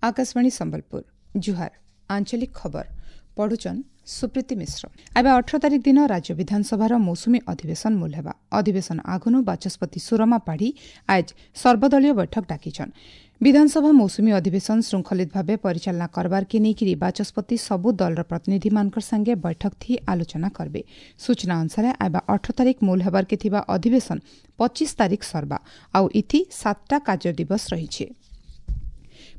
ଆକାଶବାଣୀ ସମ୍ବଲପୁର। ଜୁହାର। ଆଞ୍ଚଳିକ ଖବର ପଢୁଛନ୍ ସୁପ୍ରୀତି ମିଶ୍ର। ଏବେ 18 ତାରିଖ ଦିନ ରାଜ୍ୟ ବିଧାନସଭାର ମୌସୁମୀ ଅଧିବେଶନ ମୂଲ ହେବା। ଅଧିବେଶନ ଆଗନୁ ବାଚସ୍ପତି ସୁରମା ପାଢ଼ୀ ଆଜ ସର୍ବଦଳୀୟ ବୈଠକ ଡାକିଛନ୍। ବିଧାନସଭା ମୌସୁମୀ ଅଧିବେଶନ ଶୃଙ୍ଖଳିତ ଭାବେ ପରିଚାଳନା କରବାର୍କେ ନେଇକିରି ବାଚସ୍ପତି ସବୁ ଦଳର ପ୍ରତିନିଧିମାନଙ୍କର ସାଙ୍ଗେ ବୈଠକ ଥି ଆଲୋଚନା କରବେ। ସୂଚନା ଅନୁସାରେ ଆଇବା 18 ତାରିଖ ମୂଲ ହେବାର୍କେ ଥିବା ଅଧିବେଶନ 25 ତାରିଖ ସରବା ଆଉ ଇଥି 7ଟା କାର୍ଯ୍ୟ ଦିବସ ରହିଛି।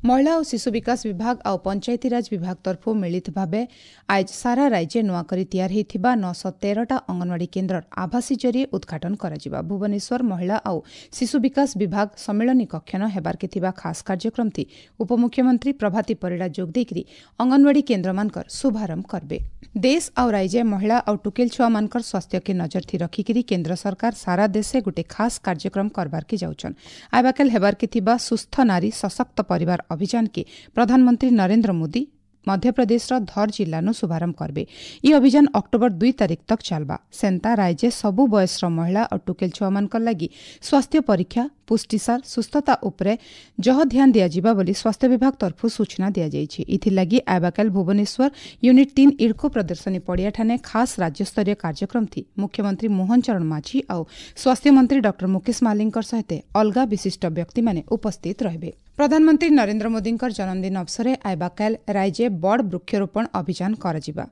ମହିଳା ଓ ଶିଶୁ ବିକାଶ ବିଭାଗ ଆଉ ପଞ୍ଚାୟତିରାଜ ବିଭାଗ ତରଫରୁ ମିଳିତ ଭାବେ ଆଜ ସାରା ରାଜ୍ୟ ନୂଆ କରି ତିଆରି ହୋଇଥିବା 913ଟା ଅଙ୍ଗନବାଡ଼ି କେନ୍ଦ୍ରର ଆଭାସୀ ଜରିଏ ଉଦ୍ଘାଟନ କରାଯିବା। ଭୁବନେଶ୍ୱର ମହିଳା ଆଉ ଶିଶୁ ବିକାଶ ବିଭାଗ ସମ୍ମିଳନୀ କକ୍ଷନ ହେବାର୍କେ ଥିବା ଖାସ୍ କାର୍ଯ୍ୟକ୍ରମଥି ଉପମୁଖ୍ୟମନ୍ତ୍ରୀ ପ୍ରଭାତୀ ପରିଡ଼ା ଯୋଗ ଦେଇକରି ଅଙ୍ଗନବାଡ଼ି କେନ୍ଦ୍ରମାନଙ୍କର ଶୁଭାରମ୍ଭ କରିବେ। ଦେଶ ଆଉ ରାଜ୍ୟ ମହିଳା ଆଉ ଟୁକେଲ ଛୁଆମାନଙ୍କର ସ୍ୱାସ୍ଥ୍ୟକେ ନଜର ଥି ରଖିକିରି କେନ୍ଦ୍ର ସରକାର ସାରା ଦେଶେ ଗୋଟେ ଖାସ୍ କାର୍ଯ୍ୟକ୍ରମ କରବାର୍କେ ଯାଉଛନ୍। ଆଇବାକାଲ ହେବାର୍କେ ଥିବା ସୁସ୍ଥ ନାରୀ ସଶକ୍ତ ପରିବାର ଅଭିଯାନ କେ ପ୍ରଧାନମନ୍ତ୍ରୀ ନରେନ୍ଦ୍ର ମୋଦି ମଧ୍ୟପ୍ରଦେଶର ଧର ଜିଲ୍ଲାନୁ ଶୁଭାରମ୍ଭ କରିବେ। ଇ ଅଭିଯାନ ଅକ୍ଟୋବର 2 ତାରିଖ ତକ୍ ଚାଲବା। ସେନ୍ତା ରାଜ୍ୟ ସବୁ ବୟସର ମହିଳା ଓ ଟୁକେଲ ଛୁଆମାନଙ୍କର ଲାଗି ସ୍ୱାସ୍ଥ୍ୟ ପରୀକ୍ଷା, ପୁଷ୍ଟିସାର, ସୁସ୍ଥତା ଉପରେ ଜହ ଧ୍ୟାନ ଦିଆଯିବା ବୋଲି ସ୍ୱାସ୍ଥ୍ୟ ବିଭାଗ ତରଫରୁ ସୂଚନା ଦିଆଯାଇଛି। ଏଥିଲାଗି ଆବାକାଲ ଭୁବନେଶ୍ୱର ୟୁନିଟ୍ 3 ଇଡ୍କୋ ପ୍ରଦର୍ଶନୀ ପଡ଼ିଆଠାନେ ଖାସ୍ ରାଜ୍ୟସ୍ତରୀୟ କାର୍ଯ୍ୟକ୍ରମ ଥି ମୁଖ୍ୟମନ୍ତ୍ରୀ ମୋହନ ଚରଣ ମାଝୀ ଆଉ ସ୍ୱାସ୍ଥ୍ୟମନ୍ତ୍ରୀ ଡକ୍ଟର ମୁକେଶ ମହାଲିଙ୍କର ସହିତ ଅଲଗା ବିଶିଷ୍ଟ ବ୍ୟକ୍ତିମାନେ ଉପସ୍ଥିତ ରହିବେ। ପ୍ରଧାନମନ୍ତ୍ରୀ ନରେନ୍ଦ୍ର ମୋଦିଙ୍କର ଜନ୍ମଦିନ ଅବସରରେ ଆଇବାକାଲ ରାଜ୍ୟ ବଡ଼ ବୃକ୍ଷରୋପଣ ଅଭିଯାନ କରାଯିବା।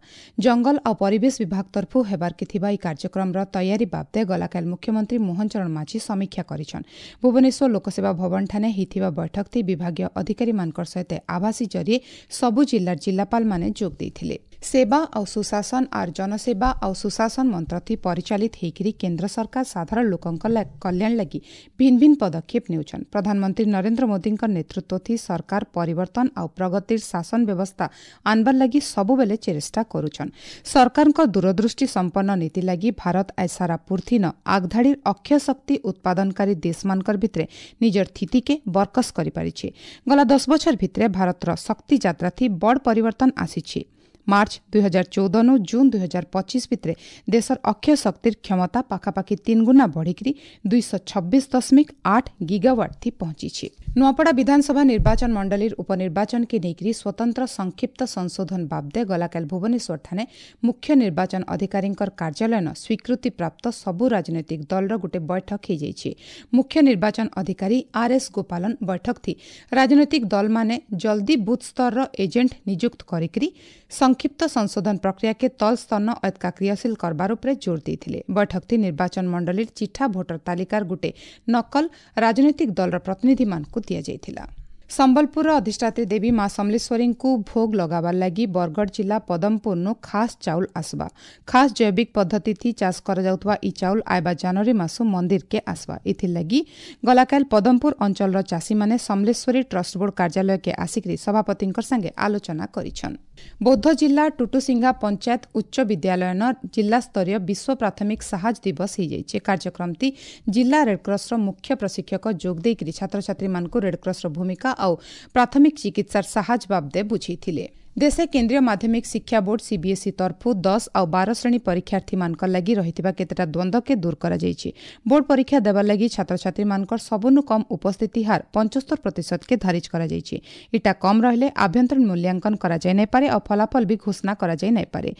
ଜଙ୍ଗଲ ଆଉ ପରିବେଶ ବିଭାଗ ତରଫରୁ ହେବାର୍କେ ଥିବା ଏହି କାର୍ଯ୍ୟକ୍ରମର ତୟାରୀ ବାବଦେ ଗଲାକାଲ ମୁଖ୍ୟମନ୍ତ୍ରୀ ମୋହନ ଚରଣ ମାଝୀ ସମୀକ୍ଷା କରିଛନ୍। ଭୁବନେଶ୍ୱର ଲୋକସେବା ଭବନଠାନେ ହୋଇଥିବା ବୈଠକଥି ବିଭାଗୀୟ ଅଧିକାରୀମାନଙ୍କର ସହିତ ଆଭାସୀ ଜରିଏ ସବୁ ଜିଲ୍ଲାର ଜିଲ୍ଲାପାଳମାନେ ଯୋଗ ଦେଇଥିଲେ। ସେବା ଆଉ ସୁଶାସନ ଆର୍ ଜନସେବା ଆଉ ସୁଶାସନ ମନ୍ତ୍ରଥି ପରିଚାଳିତ ହେଇକିରି କେନ୍ଦ୍ର ସରକାର ସାଧାରଣ ଲୋକଙ୍କ କଲ୍ୟାଣ ଲାଗି ଭିନ୍ନ ଭିନ୍ନ ପଦକ୍ଷେପ ନେଉଛନ୍। ପ୍ରଧାନମନ୍ତ୍ରୀ ନରେନ୍ଦ୍ର ମୋଦିଙ୍କ ନେତୃତ୍ୱଥି ସରକାର ପରିବର୍ତ୍ତନ ଆଉ ପ୍ରଗତିର ଶାସନ ବ୍ୟବସ୍ଥା ଆନବାର ଲାଗି ସବୁବେଲେ ଚେଷ୍ଟା କରୁଛନ୍। ସରକାରଙ୍କ ଦୂରଦୃଷ୍ଟି ସମ୍ପନ୍ନ ନୀତି ଲାଗି ଭାରତ ଆଜ ସାରା ପୃଥିନ ଆଗଧାଡ଼ିର ଅକ୍ଷୟ ଶକ୍ତି ଉତ୍ପାଦନକାରୀ ଦେଶମାନଙ୍କର ଭିତରେ ନିଜର ସ୍ଥିତିକେ ବରକସ କରିପାରିଛି। ଗଲା 10 ବଛର ଭିତରେ ଭାରତର ଶକ୍ତି ଯାତ୍ରାଥି ବଡ଼ ପରିବର୍ତ୍ତନ ଆସିଛି। ମାର୍ଚ୍ଚ 2014 ଜୁନ୍ 2025 ଭିତରେ ଦେଶର ଅକ୍ଷୟ ଶକ୍ତିର କ୍ଷମତା ପାଖାପାଖି 3 ଗୁଣା ବଢ଼ିକିରି 226.8 ଗିଗାୱାଟ୍ ଥି ପହଞ୍ଚିଛି। ନୂଆପଡ଼ା ବିଧାନସଭା ନିର୍ବାଚନ ମଣ୍ଡଳୀର ଉପନିର୍ବାଚନକେ ନେଇକରି ସ୍ୱତନ୍ତ୍ର ସଂକ୍ଷିପ୍ତ ସଂଶୋଧନ ବାବଦେ ଗଲାକାଲି ଭୁବନେଶ୍ୱରଠାନେ ମୁଖ୍ୟ ନିର୍ବାଚନ ଅଧିକାରୀଙ୍କର କାର୍ଯ୍ୟାଳୟନ ସ୍ୱୀକୃତିପ୍ରାପ୍ତ ସବୁ ରାଜନୈତିକ ଦଳର ଗୋଟେ ବୈଠକ ହୋଇଯାଇଛି। ମୁଖ୍ୟ ନିର୍ବାଚନ ଅଧିକାରୀ ଆର୍ ଏସ୍ ଗୋପାଲନ ବୈଠକ ଥି ରାଜନୈତିକ ଦଳମାନେ ଜଲ୍ଦି ବୁଥ୍ ସ୍ତରର ଏଜେଣ୍ଟ ନିଯୁକ୍ତ କରିକିରି ସଂକ୍ଷିପ୍ତ ସଂଶୋଧନ ପ୍ରକ୍ରିୟାକେ ତଳ ସ୍ତରନ ଅତକା କ୍ରିୟାଶୀଳ କରବାର ଉପରେ ଜୋର ଦେଇଥିଲେ। ବୈଠକଥି ନିର୍ବାଚନ ମଣ୍ଡଳୀର ଚିଠା ଭୋଟର ତାଲିକାର ଗୋଟେ ନକଲ ରାଜନୈତିକ ଦଳର ପ୍ରତିନିଧିମାନଙ୍କୁ ଦିଆଯାଇଥିଲା। ସମ୍ବଲପୁରର ଅଧିଷ୍ଠାତ୍ରୀ ଦେବୀ ମା ସମଲେଶ୍ୱରୀଙ୍କୁ ଭୋଗ ଲଗାବାର ଲାଗି ବରଗଡ଼ ଜିଲ୍ଲା ପଦମପୁରନୁ ଖାସ୍ ଚାଉଳ ଆସବା। ଖାସ୍ ଜୈବିକ ପଦ୍ଧତିଥି ଚାଷ କରାଯାଉଥିବା ଇ ଚାଉଳ ଆଇବା ଜାନୁଆରୀ ମାସୁ ମନ୍ଦିରକେ ଆସବା। ଏଥିଲାଗି ଗଲାକାଲ ପଦମପୁର ଅଞ୍ଚଳର ଚାଷୀମାନେ ସମଲେଶ୍ୱରୀ ଟ୍ରଷ୍ଟ ବୋର୍ଡ କାର୍ଯ୍ୟାଳୟକେ ଆସିକରି ସଭାପତିଙ୍କ ସାଙ୍ଗେ ଆଲୋଚନା କରିଛନ୍। ବୌଦ୍ଧ ଜିଲ୍ଲା ଟୁଟୁସିଙ୍ଗା ପଞ୍ଚାୟତ ଉଚ୍ଚ ବିଦ୍ୟାଳୟନ ଜିଲ୍ଲାସ୍ତରୀୟ ବିଶ୍ୱ ପ୍ରାଥମିକ ସାହାଯ୍ୟ ଦିବସ ହୋଇଯାଇଛି। କାର୍ଯ୍ୟକ୍ରମଟି ଜିଲ୍ଲା ରେଡ୍କ୍ରସର ମୁଖ୍ୟ ପ୍ରଶିକ୍ଷକ ଯୋଗ ଦେଇକରି ଛାତ୍ରଛାତ୍ରୀମାନଙ୍କୁ ରେଡ୍କ୍ରସର ଭୂମିକା ଆଉ ପ୍ରାଥମିକ ଚିକିତ୍ସାର ସାହାଯ୍ୟ ବାବଦେ ବୁଝେଇଥିଲେ। ଦେଶେ କେନ୍ଦ୍ରୀୟ ମାଧ୍ୟମିକ ଶିକ୍ଷା ବୋର୍ଡ ସିବିଏସ୍ଇ ତରଫରୁ 10 ଆଉ 12 ଶ୍ରେଣୀ ପରୀକ୍ଷାର୍ଥୀମାନଙ୍କ ଲାଗି ରହିଥିବା କେତେଟା ଦ୍ୱନ୍ଦ୍ୱକେ ଦୂର କରାଯାଇଛି। ବୋର୍ଡ ପରୀକ୍ଷା ଦେବାର ଲାଗି ଛାତ୍ରଛାତ୍ରୀମାନଙ୍କର ସବୁନୁ କମ୍ ଉପସ୍ଥିତି ହାର 75%କେ ଧାରିଜ କରାଯାଇଛି। ଇଟା କମ୍ ରହିଲେ ଆଭ୍ୟନ୍ତରୀଣ ମୂଲ୍ୟାଙ୍କନ କରାଯାଇ ନାଇପାରେ ଆଉ ଫଳାଫଳ ବି ଘୋଷଣା କରାଯାଇ ନାଇପାରେ।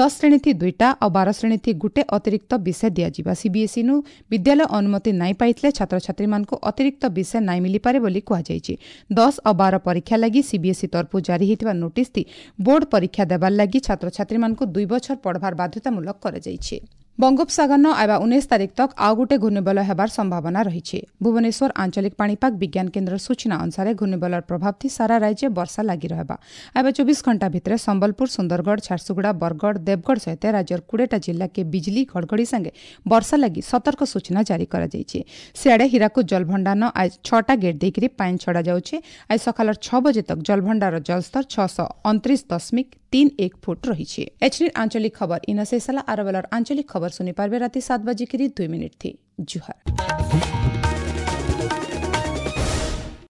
10 ଶ୍ରେଣୀଥି 2ଟା ଆଉ 12 ଶ୍ରେଣୀଥି ଗୋଟେ ଅତିରିକ୍ତ ବିଷୟ ଦିଆଯିବା। ସିବିଏସ୍ଇନୁ ବିଦ୍ୟାଳୟ ଅନୁମତି ନାଇଁ ପାଇଥିଲେ ଛାତ୍ରଛାତ୍ରୀମାନଙ୍କୁ ଅତିରିକ୍ତ ବିଷୟ ନାଇଁ ମିଳିପାରେ ବୋଲି କୁହାଯାଇଛି। 10 ଆଉ 12 ପରୀକ୍ଷା ଲାଗି ସିବିଏସ୍ଇ ତରଫରୁ ଜାରି ହୋଇଥିବା ନୋଟିସ୍ ବୋର୍ଡ ପରୀକ୍ଷା ଦେବାର ଲାଗି ଛାତ୍ରଛାତ୍ରୀମାନଙ୍କୁ 2 ବଛର ପଢ଼ବାର ବାଧ୍ୟତାମୂଳକ କରାଯାଇଛି। ବଙ୍ଗୋପସାଗରନ ଆଇବା 19 ତାରିଖ ତକ୍ ଆଉ ଗୋଟେ ଘୂର୍ଣ୍ଣିବଳୟ ହେବାର ସମ୍ଭାବନା ରହିଛି। ଭୁବନେଶ୍ୱର ଆଞ୍ଚଳିକ ପାଣିପାଗ ବିଜ୍ଞାନ କେନ୍ଦ୍ରର ସୂଚନା ଅନୁସାରେ ଘୂର୍ଣ୍ଣିବଳୟର ପ୍ରଭାବ ଥି ସାରା ରାଜ୍ୟ ବର୍ଷା ଲାଗି ରହିବା। ଆଇବା 24 ଘଣ୍ଟା ଭିତରେ ସମ୍ବଲପୁର, ସୁନ୍ଦରଗଡ଼, ଝାରସୁଗୁଡ଼ା, ବରଗଡ଼, ଦେବଗଡ଼ ସହିତ ରାଜ୍ୟର 20ଟା ଜିଲ୍ଲାକେ ବିଜଲି ଘଡ଼ଘଡ଼ି ସାଙ୍ଗେ ବର୍ଷା ଲାଗି ସତର୍କ ସୂଚନା ଜାରି କରାଯାଇଛି। ସିଆଡ଼େ ହୀରାକୁଦ ଜଳଭଣ୍ଡାର ଆଜ 6ଟା ଗେଟ୍ ଦେଇକରି ପାଣି ଛଡ଼ାଯାଉଛି। ଆଜି ସକାଳର 6 ବଜେ ତକ୍ ଜଳଭଣ୍ଡାର ଜଳସ୍ତର 629.31 ଫୁଟ ରହିଛି। ଏଚନି ଆଞ୍ଚଳିକ ଖବର ଇନ ଶେଷ ହେଲା। ଆର ବେଲର ଆଞ୍ଚଳିକ ଖବର ଶୁଣି ପାରବେ ରାତି 7:02 ଥି। ଜୁହାର।